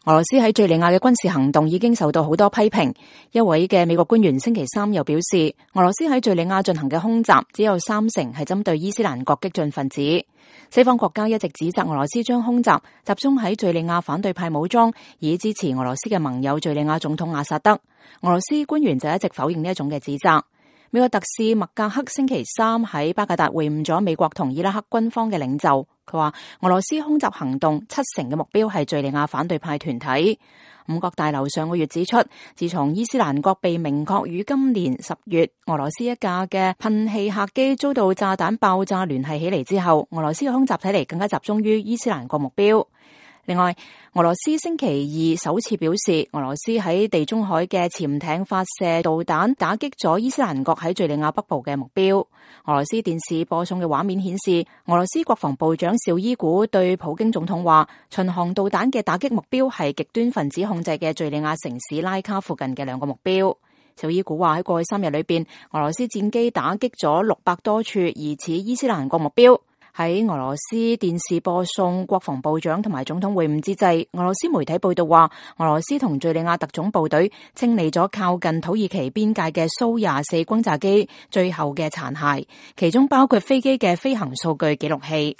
俄羅斯喺敘利亞嘅軍事行動已經受到好多批評。一位嘅美國官員星期三又表示，俄羅斯喺敘利亞進行嘅空襲只有30%係針對伊斯蘭國激進分子。西方國家一直指責俄羅斯將空襲集中喺敘利亞反對派武裝，以支持俄羅斯嘅盟友敘利亞總統阿薩德。俄羅斯官員就一直否認呢一種嘅指責。美國特使麥格克星期三喺巴格達會晤咗美國同伊拉克軍方嘅領袖，佢話俄羅斯空襲行動70%嘅目標係敘利亞反對派團體。五角大樓上個月指出，自從伊斯蘭國被明確於今年10月俄羅斯一架嘅噴氣客機遭到炸彈爆炸聯繫起嚟之後，俄羅斯嘅空襲睇嚟更加集中於伊斯蘭國目標。另外，俄羅斯星期二首次表示，俄羅斯喺地中海嘅潛艇發射導彈打擊咗伊斯蘭國喺敘利亞北部嘅目標。俄羅斯電視播送嘅畫面顯示，俄羅斯國防部長紹伊古對普京總統話，巡航導彈嘅打擊目標係極端分子控制嘅敘利亞城市拉卡附近嘅2個目標。紹伊古話喺過去3日裏邊，俄羅斯戰機打擊咗600多處疑似伊斯蘭國目標。喺俄羅斯電視播送國防部長同埋總統會晤之際，俄羅斯媒體報道話，俄羅斯同敘利亞特種部隊清理咗靠近土耳其邊界嘅蘇24轟炸機最後嘅殘骸，其中包括飛機嘅飛行數據記錄器。